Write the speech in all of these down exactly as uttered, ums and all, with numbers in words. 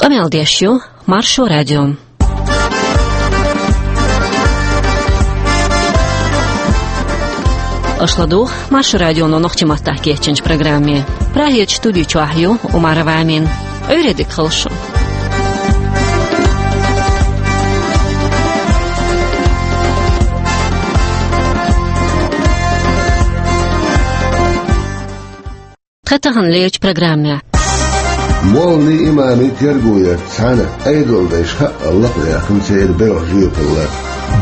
Къамел деш ю Маршо радио. Аша ладугӀу Маршо радионо нохчийн маттахь кечйинчу программе. Прагерчу студи чохь ю Умарова Амина. Ӏуьйре дика хуьлда шун. Тхан таханлерчу программехь. Молланийн, имамийн терго ярца цхьаьна Ӏедалдайша хаъал лакхаваьккхина церан белхан жоьпалла.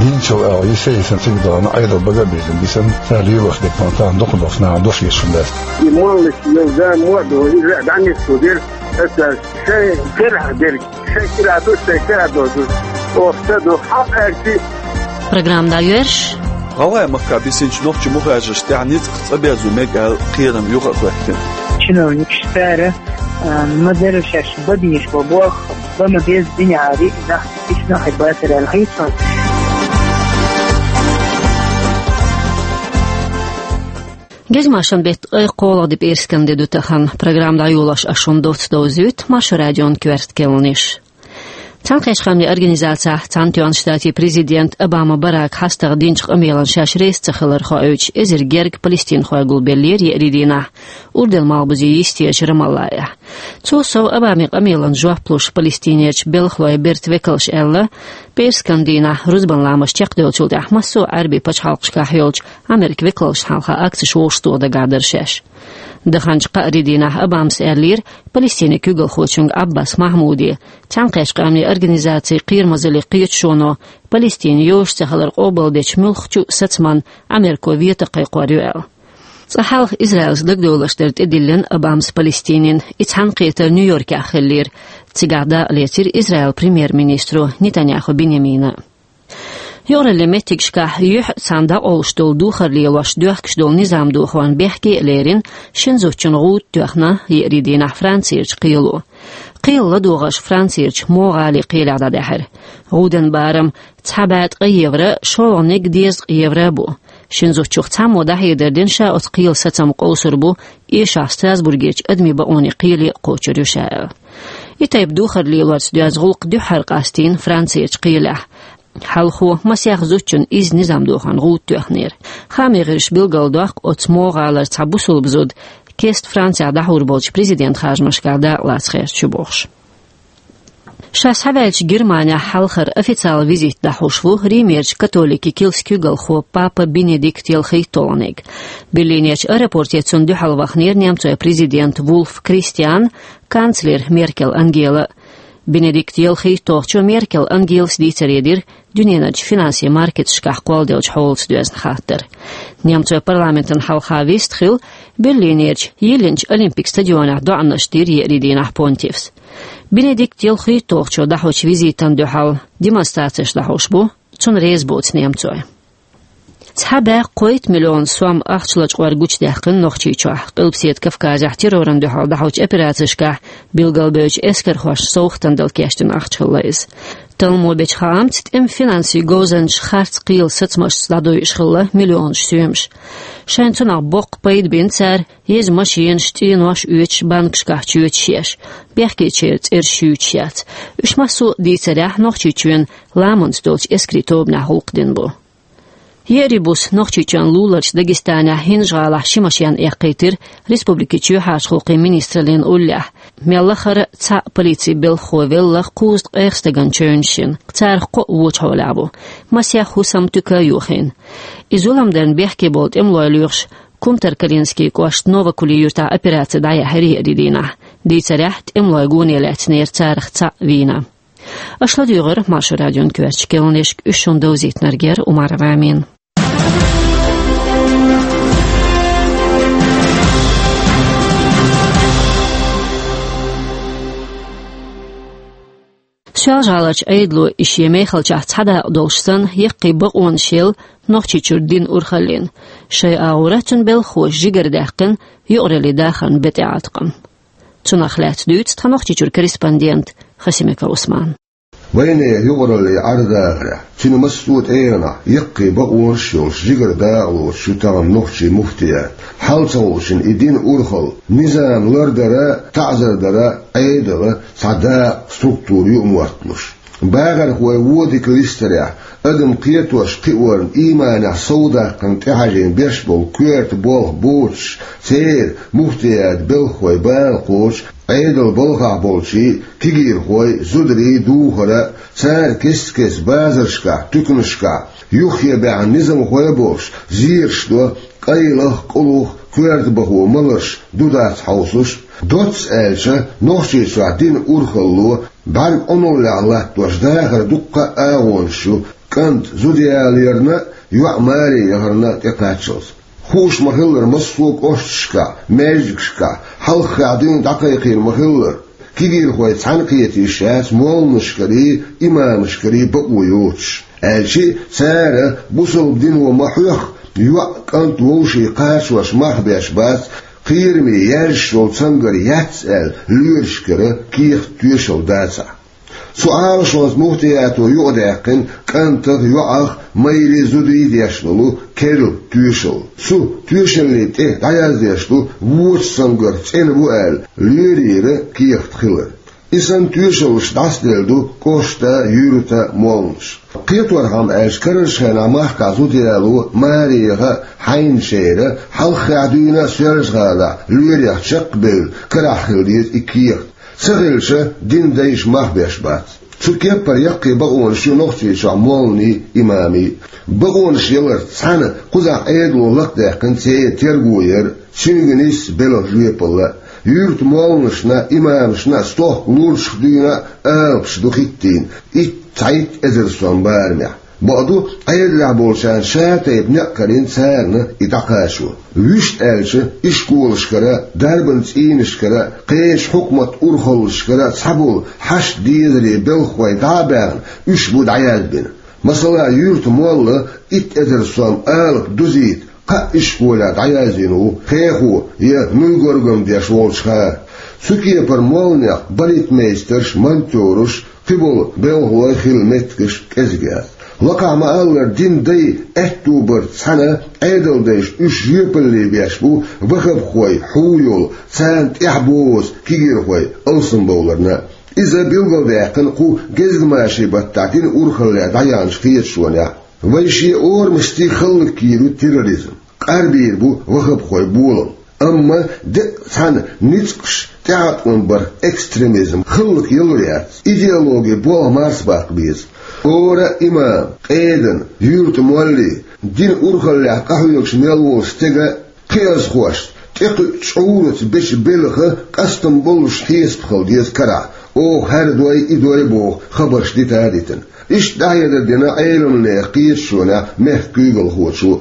Динчул агӀо йисейсан цига дахана Ӏедал бага а бийзина бисана, цара лелош дерг тахана дукха долуш нахана дош йиш хилла. И молланаш йолу да мо а ду, иза а дӀанисдо дерг, аса шайн карахь дерг. Шайн кира ду, шайн кира ду. Оха ца ду, хьан аьлчи. Программа дӀайоьрзуш. ГӀалгӀай махкахь бисинчу нохчийн мухажаршна тӀехь ницкъах цӀа безо мега аьлла кхерам юха а хӀоьттина. Чиновникаш цара, а, ма-дарра шаьш бан безаш болу болх, бан ма-безза динехь а риъна нах, ишна хьайга бацара аьлла хьийца. Гезмашан беттан ткъе кхоалгӀа де пӀераскан де ду тахана. Программа дӀайолош ас шуна доцца довзуьйту Маршо радион коьрта кхаьънаш. Цхьаьнакхеттачу Къаьмнийн Организацехь Цхьаьнатоьхначу Штатийн президент Обама Барака хьастагӀа динчу къамелан шаьш реза ца хилар хоуьйтуш, эзар гергга палестинхой гулбеллера еарин дийнахь Урдун малхбузе йистерчу Рамаллахехь. Цул сов, Обамин къамелан жоп луш Палестинерчу белхалойн бертан векалша аьлла, пӀераскан дийнахь рузбан ламаз чекхдевллачул тӀаьхьа массо а Ӏаьрбийн пачхьалкхашкахь йолчу Америкин векалшна хьалха акцеш вовшахтоха дагахь дара шаьш. Даханчу кхаарин дийнахь Обамас аьллера Палестинан куьйгалхочуьнга Ӏаббас Махьмуде, Цхьаьнакхеттачу Къаьмнийн Организацин кхерамазаллин кхеташоно Палестина йозуш ца хилар къобалдечу муьлххачу а сацамна Америко вето кхайкхор ю аьлла. Цкъа хьалха Израилца дагадовларш дар тӀедиллина Обамас Палестинина, и цхьаьнакхетар Нью-Йоркехь хиллера. Цигахь дакъа лецира Израилан премьер-министро Нетаньяху Биньямина. Юкъараллин меттигашкахь юьхь а цхьаьна дӀакъовлуш долу духар лелош доьхкуш долу низам дохорна бехке а лерина, шина зудчун гӀуда тоьхна еарин дийнахь Францерчу кхело. Кхелан ладогӀарш Францерчу Мо гӀалин кхелехь дӀадаьхьира. ГӀудан барам цхьа бӀе ткъе евро, шолгӀаниг дезткъа евро бу. Шина зудчух цхьаммо дӀахьедар дина ша оцу кхелан сацам къовсур бу, эшахь Страсбургерчу адамийн бакъонийн кхеле а кхочур ю ша аьлла. И тайпа духар лелорца доьзна гӀуллакх дуьххьара къастийна Францерчу кхелехь. Хьалхо масех зудчунна изза низам дохорна гӀуда тоьхнера. Хаамийн гӀирсаша билгалдоккху, оцу Мо гӀалара цхьа бусулба зуда кеста Францехь дӀахьур болчу президентан харжамашкахь дакъалаца гӀерташ ю бохуш. Ша схьаваьллачу Германехь хьалхара официалан визит дӀахьош ву Римерчу католикийн килсан куьйгалхо папа Бенедикт ялхитталгӀаниг. Берлинерчу аэропорте цунна дуьхьал вахнера немцойн президент Вульф Кристиан, канцлер Меркел Ангела. Бенедикт ялхитталгӀачо Меркел Ангелас дийцаре дира дуьненарчу финансийн маркеташкахь кхолладеллачу хьолаца доьзна хаттар. Немцойн парламентана хьалха вист хилла Берлинерчу йиллинчу Олимпик стадионехь доӀанаш дира еарин дийнахь понтифс. Бенедикт ялхитталгӀачо дӀахьочу визитана дуьхьал демонстрацеш дӀахьош бу, цунна реза боцу немцой. Цхьа бӀе кхойтта миллион сом ахча лачкъор гучудаьккхина Нохчийчохь, Къилбаседа Кавказехь террорна дуьхьал дӀахьочу операцешкахь билгалбевллачу эскархошна совгӀатана дала кечдина ахча хилла иза. Талламо бечу хаамца, тӀеман финансийн говзанчаша харц кхелан сацамашца дӀадойуш хилла миллионаш соьмаш. Шайна цунах боккха пайда бина цара еза машенаш, цӀенош оьцуш, банкашкахь чоьташ еш, бехкечеран цӀераш юьйцуш яц. Уьш массо а, дийцарехь, Нохчийчоьнан ламанца долчу эскарийн тобанехь гӀуллакхдина бу. Еарин буса Нохчийчоьнан луларчу Дагестанехь ХӀинжа-ГӀалахь ши машен эккхийтира республикин чоьхьарчу гӀуллакхийн министраллина уллехь. Мел лахара цхьаъ полицин белхахо велла, кхузткъех стагана чевнаш йина, царах кхоъ вочу хьолехь бу. Масех хӀусам, туька а йохийна. И зулам дарна бехке болу тӀемалой лоьхуш, Кумтаркалинскийн кӀоштан Новокули юьртахь операци дӀаяьхьира еарин дийнахь. Дийцарехь, тӀемалой гоне лаьцнера царах цхьаъ вийна. Аша ладуьйгӀира Маршо радион коьртачу кхаьънашка, уьш шуна довзийтинарг яра Умарова Амина. Соьлжа-ГӀаларчу Ӏедало и шен мехалчохь цхьа дакъа долуш санна, яккхий бакъонаш елла Нохчийчуьра динан урхаллина. Шайн агӀора цуьнан белхахоша жигара даьккхина юкъараллин дахарна бен тӀеӀаткъам. Цунах лаьцна дуьйцу тхан Нохчийчуьра корреспондента Хасимиков Усмана. Вайнехан юкъараллин Ӏер-дахарехь, цуьнан массо а тӀегӀанехь яккхий бакъонаш а йолуш, жигара дакъалоцуш ю тахана нохчийн муфтият. Хьал ца хууш йина и динан урхалла, низам лардар а, таӀзар дар а Ӏедалан цхьа дакъа, структура ю а мотталуш. Бахархой вон дика листарехь, адам кхетош-кхиорна, ийманехь совдаккхарна тӀехьажийна беш болу коьрта болх боцуш, церан, муфтиятан белхахойн бала кхочуш, Ӏедалан балхахь болчийн, кегийрхойн, зударийн духар а, цара кест-кеста базаршкахь, туьканашкахь, юххе баьхна низамхой а болуш, зераш до, къайлах а, къулах а коьртабахо маларш ду-дац хьовсуш. Доцца аьлча, Нохчийчохь динан урхалло бӀаьрг Ӏуналлехь латтош дахаран дуккха а агӀонаш ю, кӀант зуда яларна а, йоӀ маре яхарна а тӀекхаччалц. Хууш ма-хиллара, массо а кӀошташкахь, маьждигашкахь, хьалххе дуьйна дӀакхайкхийна ма-хиллара, кегийрхой цхьаьна кхета йиш яц молланашкарий, имамашкарий бакъо йоцуш. Аьлча а, цара бусалба дино ма-хьоьхху, йоӀ, кӀант, вовшийн кхачош мах беш бац, кхераме яьржаш йолу цамгар яц аьлла, лоьрашкара кехат, тоьшалла дацахь. Цу Ӏалашонца муфтиято юкъадаьккхина кӀантах а, йоӀах а, майрий, зудий деш долу керла тоьшалла. Цу тоьшаллин тӀе дӀаяздеш ду, вочу цамгарх цӀена ву аьлла, лоьрийн кехат хилар. И санна тоьшаллаш дӀасаделла ду кӀоштан, юьртан молланаш. Кхеторхьама аьлча, карарчу хенахь махкахь зуда яло маре яха а, хьайначеран, хьалххе дуьйна а Соьлжа-ГӀалахь лоьрех чекхбевлла карахь хила деза и кехат. Ца хилча, динан дайша мах беш бац. Цу кеппара яккхий бакъонаш ю Нохчийчохь молланийн, имамийн. Бакъонаш яларца цхьаьна кхузахь Ӏедало лакхадаьккхина церан терго яр а, цуьнга нийсса белхан жоьпалла а. Юьртан молланашна а, имамашна а стохка лурчах дуьйна а алапаш ду хӀиттийна, итт, цхьайтта эзар сом барамехь. Бакъду, Ӏедалехь болчарна ша-тайпа некъ карийна царна и дӀакхачо. Вуьшта аьлча, ишколашкара, дарбан цӀийнашкара, кхечу хьукматан урхаллашкара цхьаболу хьашт-дезарийн белхахой дӀа а баьхна, уьш бу дӀаяздина. Масала, юьртан молла итт эзар сом алапа дузийта кхаа ишколехь дӀаяздина ву, кхехо я нуй горгам деш волчу хана. Цу кепара молланех балетмейстерш, монтёраш, кхин болу белхалой хила меттигаш кӀезиг яц. Лакхахь ма-аллара, динан дай аьтто барца цхьаьна Ӏедалдайша уьш жоьпалле беш бу ваххабхой хьу йолу, царна тӀаьхьабозу кегийрхой алсамбовларна. Иза билгалдаьккхина кху гезгмашин баттахь динан урхаллехь дӀаяьхначу кхеташонехь. Вай шен орамашций хӀаллакйийр ю терроризм, къарбийр бу ваххабхой болам. Амма декъа цхьана ницкъаш тӀеӀаткъам барх экстремизм хӀаллакъялур яц, идеологин болх марсабаккха беза. Хьора а имам, къедан, юьртан молли, динан урхаллехь къахьоьгуш мел волу стеган кхиазхошца тӀекхуьучу чӀураца бечу белхан къастам боллуш хьесап хила деза карахь, оха хӀара дой, и дой боху хабарш дита а дитина. Иштта дӀахьедар дина Ӏеламнехан кхеташонехь мехкан куьйгалхочо.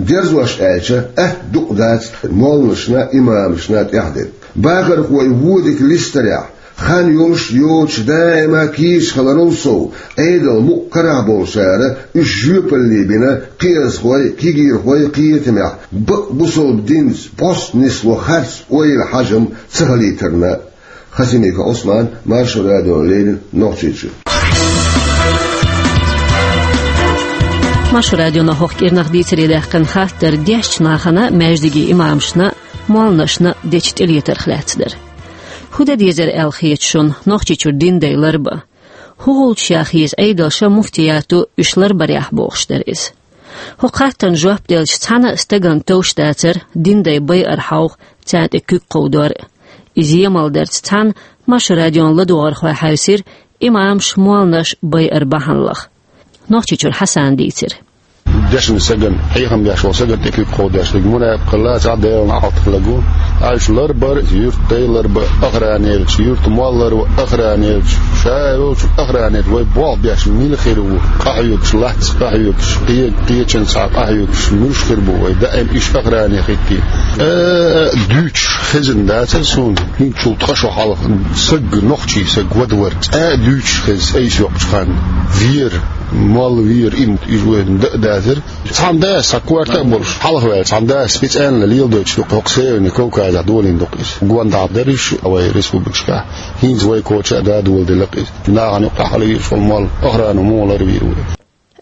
Дерзош аьлча, атта дукъ дац молланашна, имамашна тӀехь дерг. Бахархой вон дика листарехь, хан йолуш а, йоцуш а даима кийча хиларал сов, Ӏедал мукъа карахь болчара уьш жоьпалле бина кхиазхой, кегийрхой кхетамехь, бакъ бусалба динца бӀостанисло харц ойла, хьажам ца хилийтарна. Хасимиков Ӏусман, Маршо радиона леррина, Нохчийчуьра. Маршо радиона хӀокху кӀирнах дийцаре даьккхина хаттар дешначу нахана, маьждигийн имамашна, молланашна дечу тӀелетарх лаьцна дара. ХӀун дан дезара аьлла хета шуна Нохчийчуьра динан дай ларбан? ХӀун гӀулчаш яха еза Ӏедалша, муфтиято уьш ларбарехь, бохуш дара иза. ХӀокху хаттарна жоп делча, цхьана а стагана товш дацара динан дай байар хьовха, царна тӀе куьг кховдор а. Иза емал дарца цхьаьна Маршо радион ладогӀархой хьаьвсира имамаш, молланаш байар бахьана лаха. Нохчийчуьра Хьасана дийцира. Дешначу стагана, хьехам беш волу стагана тӀе куьг кховдош дерг мунепакъ хилла, цхьа Делан неӀалт хилла гу. Аьлча ларбар, юьртан дай ларбан охрана елча, юьртан молла ларбан охрана елча, ша а волчу охрана елча, вай болх беш мила хир ву, къахьоьгуш лац, къахьоьгуш кхе-, кхечанца къахьоьгуш муьлш хир бу вай, даим уьш охране хӀиттийна. А, а, дуьйцуш хезна дацара суна, хӀинцул ткъа шо хьалха саг, нохчий саг вада вара. ЦӀа а дуьйцуш хезна, айса йоккхучу ханна. Вера, молла вера, инт, уьш вайна дан а дацара, Цхьана дас, цхьа корта а болуш, хьалха ваьлла цхьана дас специально леладойтуш ду-кх хӀокху Северный Кавказехь, долийна ду-кх иза. Гондахь дара уьш вай республикашкахь, хӀинца вай коча а да доладелла-кх иза. Нахана юккъехь хьалавийр шуна молла, охрана муха ларвийр ву.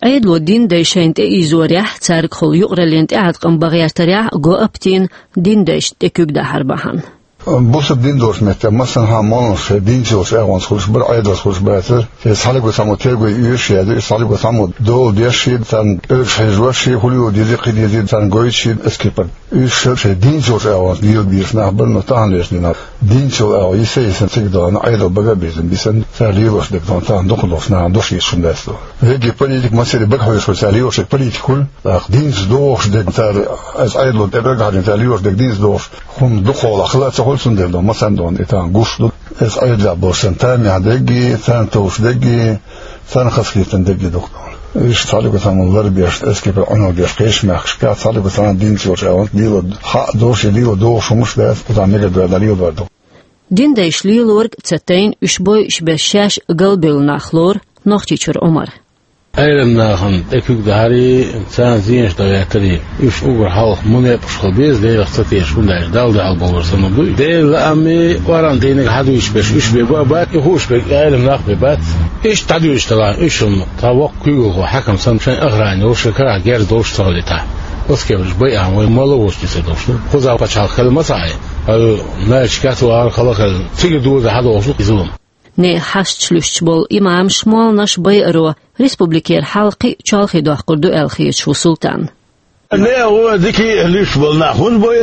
Ӏедало динан дай шайна тӀеийзорехь, цаьргахула юкъараллин тӀеӀаткъам бан гӀертарехь, го а битийна, динан дайшна тӀе куьг дахьар бахьана. Бусалба дин долчу меттехь массанхьа молланаш шайн динца йолчу агӀонца хуьлуш бара, Ӏедалца хуьлуш бацара. Шайн цхьаллиг а цхьаммо тергой оьшуш яздира, шайн цхьалиг а цхьаммо дола деш а, царна кӀелгаш хьежош а, хӀун лело дезий, кхин дезий, царна гойтуш а, эскипар. Уьш шайн динца йолчу агӀонца лелабелаш нах бара, но тахана леш динахь динца йолу агӀо йиса а йисина, цига дахана Ӏедал бага а бисина, бисина, цара лелош дерг дахана тахана дукха долуш нахана дош йиса шуна дац. Вегги политик массаре бага хьоьжуш вара цара лелош дерг политик хуьлу, тӀаккха динца догӀуш дерг цара, аса Ӏедало тӀе бага хьажийна цара лелош дерг динца догӀуш хӀума дукха хьолахь хила а ца хуьлу, цундела ду, массарна а ду, и тахана гуш ду. Аса Ӏедалехь болуш санна тамехь дерг а, царна товш дерг а, царна хазахетта дерг а дукха ду. Уьш цхьалиг а цхьаммо ларбеш, эскипар Ӏуналла деш кхечу мехкашкахь, цхьалиг а цхьаммо динца йолчу агӀонца лело хьаъ долуш я лело догӀуш хӀуманаш дац, кхузахь мегар доьгӀна леладор ду. Динан дайша лелориг а ца тайна, уьш бойуш берш шаьш галбевлла нах лору Нохчийчуьра Ӏумар. Ӏелам нахана тӀе куьг дахьарий, царна зенаш дан гӀертарий, уьш уггар хьалха мунепакъаш хила беза, Делах ца тешаш, хӀунда аьлча Далла дуьхьал бовлар санна ду. Делан лаамий, Къуръан дийниг хьадуьйцуш берш уьш бен бу а бац, и хууш берг Ӏелам нах бен бац. Иштта дӀадуьйцуш делахь, уьш-м цхьа воккха куьйгалхо, хьаькам санна, шайн охрана йолуш, шайн карахь герз долуш ца хилийтахь, оцу кепарш байахь вай молла а воцуш дисар долуш ду. Кхузахь пачхьалкх хила ма ца Ӏе, хьо Нальчикехь а вахар, хала а хилла, цигара доза хьадохуш ду иза-м. Нехан хьашташ луьстуш болу имамаш, молланаш байаро республикера хьал кхин а чолхе доккхур ду аьлла хеташ ву Султан. Нехан дика а луьстуш болу нах хӀунда бойу,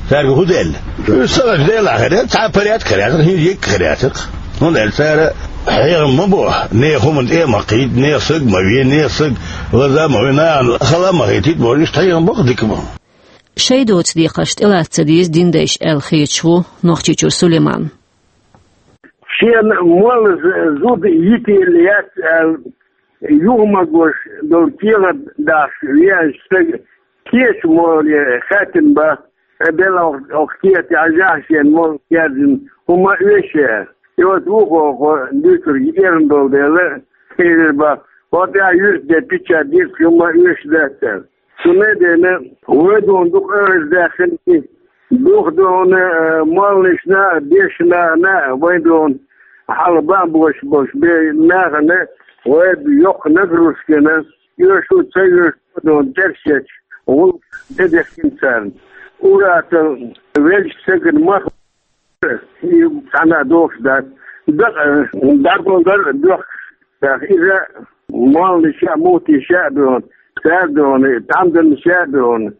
цаьрга хӀун делла? Уьш ца хилча, Делахь хир яра, цхьа а порядок хир яцара, хӀинца йиъ хир яцара-кх. ХӀунда аьлча цара хьехам ма бо, нехан хӀуманна тӀе а ма кхийда, нехан саг ма ве, нехан саг лаза а ма ве, нахана хала а ма хетийта бохуш, иштта хьехам бо-кх дика а. Шайн доцу декхарш тӀелаца ца деза динан дайша аьлла хеташ ву Нохчийчуьра Сулайман. Шена молла з-, зуда йитийла яц аьлла, юха ма гуш долу кехат дахьаш веанчу стага кечу моле хаьттина бан, белахь оха кехат яхьажахь шена молла кхаьрдина хӀума оьшу. И оцу вукхо хӀокхо дуьйцург эрна долу дела, элира бан, хӀокху тӀехь юьртан де пичча дийцча хӀума оьшу дац аьлла. Цундела вай дуьйна дукха аьлла даьккхина, дукха дуьйна, э, молланашна а, дешнашна а вай дуьйна хьала бан бош болуш бен нахана вай йоккха нагрузкина, оьшу а, ца оьшу а дуьйна тӀерсечу гӀуллакх тӀедехкина царна. Ур-атталла веллачу стагана мах и цхьанна а дохуш дац. Дакъа, дӀаболдар а доьхкуш дац. Иза молланаша а, муфтиша а дуьйна, цара дуьйна, тхьамданаша а дуьйна,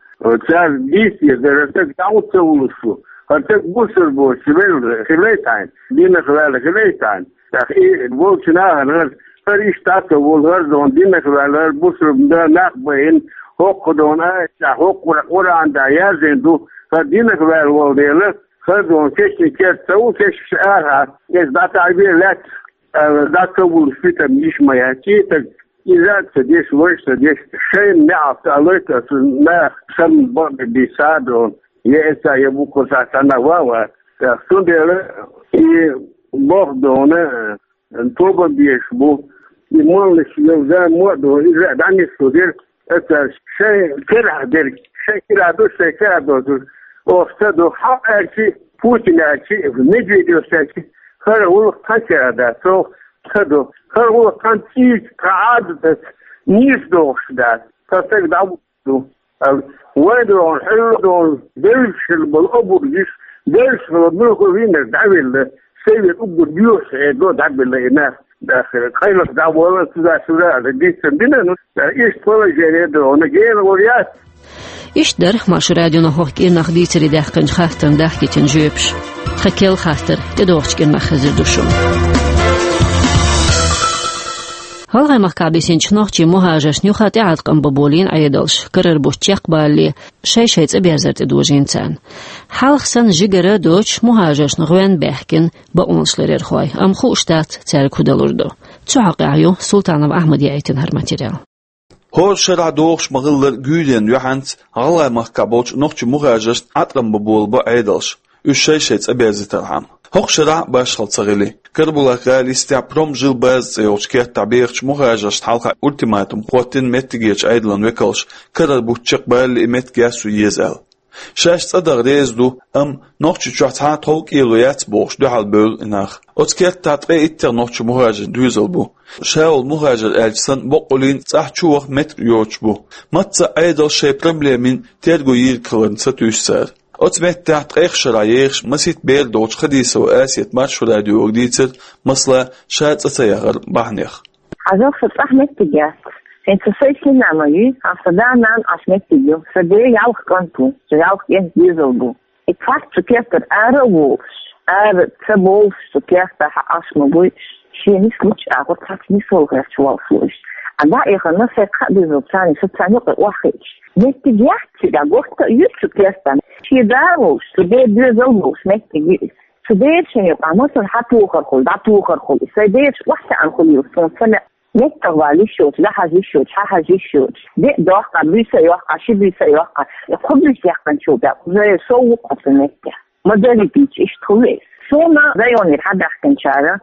цара дийца дезара, хӀара стаг дӀа хӀунда ца вуллуш ву? ХӀара стаг бусалба воцуш велла хилийта хьайна, динах ваьлла хилийта хьайна. ТӀаккха и волчу нахана хӀара, хӀара иштта дӀа ца волу, хӀара дуьйна динах ваьлла, хӀара бусалба нах байина, хӀокху дуьйна аятехь, хӀокху Къуръан тӀехь яздина ду, хӀара динах ваьлла волу дела, хӀара дуьйна кешнийн керта ца ву, кешнаш арахьа, иза дӀатаӀабе лаьтта, аьлла, дӀа ца вуллуш питам йиш ма яц. И стаг иза а ца деш, вайша а ца деш, шайна неӀалт а лойту аса наха санна бакъдерг дийца а дуьйна, я эца, я буккъал схьа цхьанна ван а вац. Цундела и боху дуьйна, тоба беш бу. И молланаш йолу зама а ду, иза а дӀанисдо дерг, аса шайн карахь дерг, шайн карахь ду, шайн карахь доцург, оха ца до. Хьалха аьлчи, Путин аьлчи, Медведев аьлчи, хӀара гӀуллакх тхан карахь дац, оха ца до. ХӀара гӀуллакх тхан цӀийца, тхан Ӏадатаца нийса догӀуш дац. Тхан стаг дӀа ду. Вай дуьйна, хьуьлла дуьйна, девлла хилла болу обург йиш, девлла хилла муьлхха вийнарг дӀавелла, шайн вен уггар доьхуш хьедо дӀабелла и нах, дахар, къайлаха дӀаволла, цу дашура аса дийцина дина, ну, иштта положение дуьйна, гена вар яц. Иштта дара Маршо радионо хӀокху кӀирнах дийцаре даьккхинчу хаттарна дахкийтина жоьпаш. Тхан керла хаттар тӀедогӀучу кӀирнах хезар ду шуна. ГӀалгӀай махкахь бисинчу нохчийн мухӀажаршна юха тӀеӀаткъам бан болийна Ӏедалша, карара бутт чекхбалале, шай-шай цӀа берзар тӀедожийна царна. Хьалха санна жигара а доцуш, мухӀажаршна гӀоьнна баьхкина бакъонашларъярхой, амма хууш дац, цаьрга хӀун далур ду. Цу хьокъехь ю Султанов Ахьмада яийтина хӀара материал. ХӀора шарахь догӀуш ма-хиллара, гуьйренна юьхьанца ГӀалгӀай махкахь болчу нохчийн мухӀажаршна Ӏаткъам бан болабо Ӏедалша, уьш шай-шай цӀа берзийтархьама. ХӀокху шарахь башхалла ца хили. Карабулак-гӀала йистехь Промжилбаза цӀе йолчу кертахь бехачу мухӀажаршна хьалха ультиматум хӀоттийна меттигерчу Ӏедалан векалша, карара бутт чекхбалале и меттиг яссо еза аьлла. Шаьш цӀа даха реза ду, амма Нохчийчохь цхьа а тхов-кӀело яц бохуш дуьхьал бевлла и нах. Оцу кертахь ткъе иттех нохчийн мухӀажарийн доьзал бу. Ша волу мухӀажар аьлча санна, баккъалла цӀахь чу ваха меттиг йоцуш бу. Мацца а Ӏедалша шайн проблемийн терго йийриг хиларна сатуьйсу цара. Оцу меттехь ткъех шарахь ехаш масийтта бер долчу Хадисова Асета Маршо радиога дийцира, масала, ша цӀа ца яхаран бахьанех. Хьажал, сан цӀахь меттиг яц. ХӀинца сайн сина а ма юй, хьан сан да-нана Ӏаш меттиг ю. Сан ден ялх кӀант ву, сан ялх кӀентан доьзал бу. И цхьацца цу кертара ара а волуш, ара ца бовлуш цу кертахь Ӏаш ма буй, шен нис лучу агӀор цхьацца нисвала гӀерташ волуш ву иштта. Ӏа дӀа а яхана, сайн кхаа доьзал царна, со царна юкъа охьахиъча, меттиг яц цигахь, гӀортта а ю цу кертахь. Шен да а волуш, цу ден доьзал а волуш меттиг ю иза. Цу дерришна юкъахь масала хьан тухар хуьлу, дӀатухар хуьлу, и сайн дерриш охьатаьӀна хуьлийла суна ца лаьа. МеттагӀа вала йиш йоцуш, дӀахьажа йиш йоцуш, хьахьажа йиш йоцуш, деа доккху, буьйса а йоккху, ши буьйса а йоккху, я кхо буьйса яьккхинчул тӀаьхьа уже сов ву-кх хьо цу меттехь. Ма даррийта иштта хуьлу иза. Суна районера хьабаьхкинчара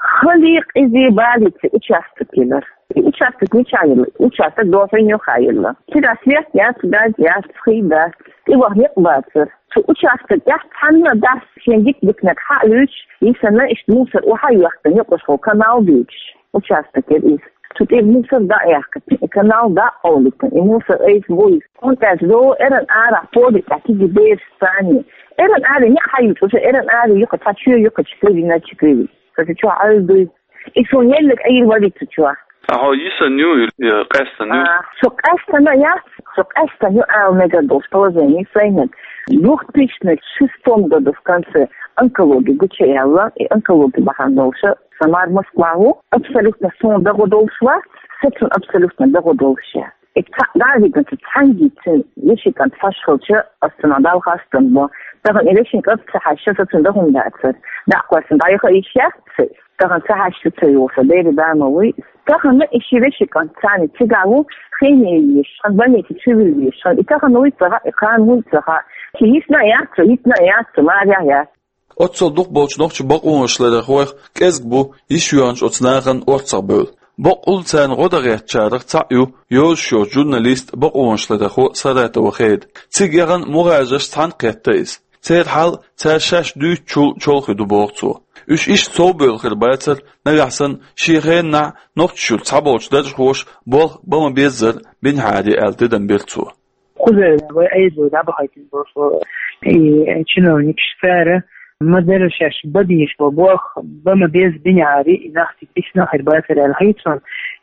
хали, къиза, балийца участок елира. И участок мичахь елла? Участок Дохьин юххе елла. Цигахь свет яц, газ яц, хи дац, тӀе ваха некъ бацара. Цу участок тӀехь цхьанна а дац шен дика-диканиг хьа а луьйцуш, йисина иштта мусор охьа а йоьхкина, юкъахула канал а дуьйцуш. Участок яра иза. Цу тӀе мусор дӀа а яьккхина, и канал дӀа а къовлийтина, и мусор айса бу иза. ХӀунда аьлча, эрна арахь поле тӀехь кегий бераш царний. Эрна аре неӀ хьайуьйту, уже эрна аре юкъа цхьа чоь ю-кх, чекхвелла, чекхвелла. Сан чохь Ӏуьйр дуй. И суна еллиг Ӏийр вара цу чохь. А хьо йисина ю, я къаьстина ю? А, со къаьстина яц, со къаьстина ю ала мегар долуш положение сайниг. Двухтысячных шестом году в конце онкологи гучуяьлла, и онкологи бахьана долуша сан мар Москва ву, абсолютно суна дагӀо долуш вац, со цунна абсолютно дагӀо долуш яц. И цхьаъ дӀа а вигна, цу цхьаьнгге цуьнан вешин кӀант хьош хилча, ас цунах Далла хастам бо. Тахана и вешин кӀант ца хьаьжча, со цунна дан хӀума дацара. ДӀа а кхоьссина, дӀаяха йиш яц сан. Тахана ца хьаьжча ца йогӀу сан, дера да ма вуй. Тахана и ши вешин кӀант царна цигахь ву, хене езаш, хьан больнице чу вилла езаш, хьан и тахана вуй ца хаьа, и кхана вуй ца хаьа. Ши йисна а яц, йитина а яц, марехь яц. Оццул дукха болчу нохчийн бакъонашларъярхойх кӀезиг бу йиш йоьхначу оцу нахана орцахбевлла. Баккъалла царна гӀо дан гӀертачарах цхьаъ ю йозуш йоцу журналист, бакъонашларъярхо Саратова Хеда. Цига яхана мухӀажарш цхьаьна кхетта иза. Церан хьал цара шаьш дуьйцучул чолхе ду, боху цо. Уьш иштта совбевлла хир бацара, нагахь санна шен хенахь Нохчийчуьра цхьаболчу даржхоша болх бан ма-беззара бинехьара аьлла тидам бира цо. Кхузара вай айзо дӀабахийтина болуш болу и чиновникаш, цара ма-дарра шаьш бан безаш болу болх бан ма-беззара бинехьара и нах цига бисина хир бацара аьлла хета суна.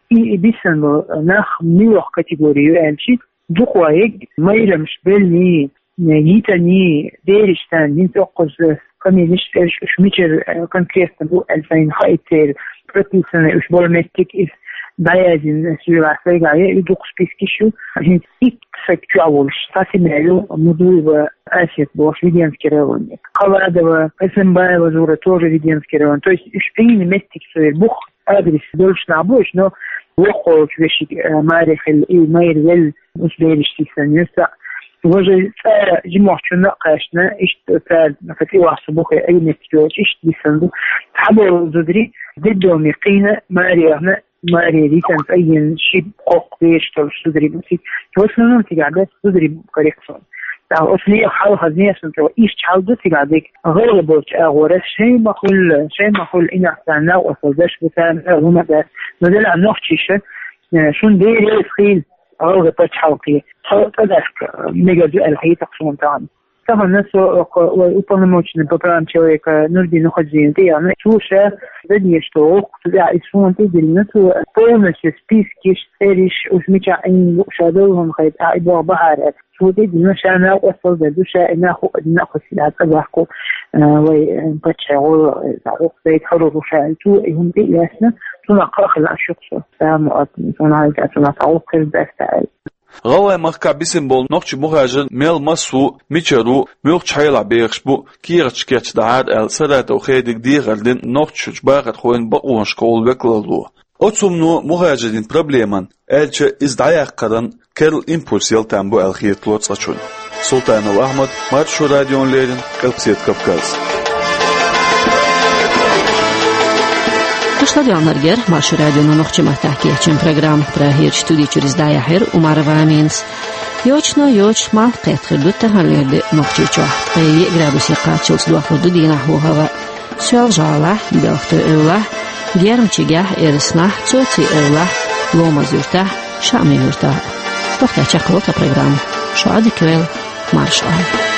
И, и бисина болу нах муьлха категори ю аьлча, дукха ваьгӀа майрамаш беллий, йитаний, бераш царна хӀинца оккхуза фамилеш, цӀераш уьш мичара, э, конкретно бу аьлла сайна хаийта, церан прописанный уьш болу меттиг иза дӀаяздина, суьйла сайгахь я и дукха спискаш ю. ХӀинца итт саг чохь волуш, цхьа семья ю, Мудуева Асет бохуш, Веденский районера. Халадова, Эсенбаева Зура, тоже Веденский район. То есть уьш Ӏийна меттиг церан бух, адрес долуш нах бу уьш, но воккхачу вешин, э, маре хилла и майра велла, уьш бераш сисан юьртахь. Важа цӀа жимохчунна а кхаьчна, иштта цара хӀокху тӀе вахса бухе Ӏийметтиг йолчу иштта дисан ду. Цхьаболу зударий детдоме кхийна, маре яхна, маре ритан цӀа йина ши-кхоккха бераш долуш зударий бу цига. В основном цигахь дац зударий бу коррекцион. ТӀаккха оцу нехан хьалха зен сан чӀогӀа иштта хьал ду цигахь дерг. ГӀалгӀа болчу агӀора шайн ма хуьллу, шайн ма хуьллу, и нах царна накъосталла деш бу, царна хӀума дац. Но делахь нохчиша, э, шун дерриг а хийла гӀалгӀа пачхьалкхе, тхо тӀадаска мегар ду аьлла хета-кх суна тахана. Тахана со оха вай уполномоченный по правам человека Нурдин Нухаджиевна тӀе яхна, цо ша дадеш долу гӀуллакх цу тӀехь иза суна тӀе диллина, цо полностью спискаш, цӀераш, уьш мичахь Ӏийна бу, ша долу хӀума хета, ахь и боху бахьара аьлла. Цо тӀедиллина, ша накъосталла дер ду, ша и нах хӀуъа дина а кхуьссина цӀа бахку, а, вай, а, паччахьан гӀуллакх, а, гӀуллакх дайта хьалур ву ша. Цо и хӀума тӀе а лаьцна, цунах кхаъ хилла аш ю-кх со. Ша ма-, цунах хьалха, цунах цхьа гӀуллакх хир дац аьлла. ГӀалгӀайн махкахь бисина болу нохчийн мухӀажар мел маса ву, мичара ву, муьлхачу хьелахь бехаш бу, кехаташ кечдахьара аьлла, Саратов Хедига дехар дина Нохчийчуьрчу бахархойн бакъонашкахула векалло. Оцу хӀумано мухӀажарийн проблеман, аьлча, иза дӀаяккхаран керла импульс яла там бу аьлла хетало цкъачунна. Султанов Ахьмад, Маршо радиона леррина, Къилбаседа Кавказ. Ца доьлнаргер Маршо радионо нохчийн маттахь кечйина программа. Прагерчу студи чуьра иза дӀаяьхьира Умарова Аминас. Йочано йоцуш малх кхетта хир ду таханлера де Нохчийчохь. Ткъе йиъ градусе кхаччалц дохлур ду дийнахь хӀаваъ. Соьлжа-ГӀалахь, Белхатуй-Эвлахь, Герман-Чигахь, Эраснахь, Цоци-Эвлахь, Ломаз-Юьртахь, Шаъми-Юьртахь. Тохтар чекхвала тхан программа. Шу Ӏадика йойла, марша Ӏойла.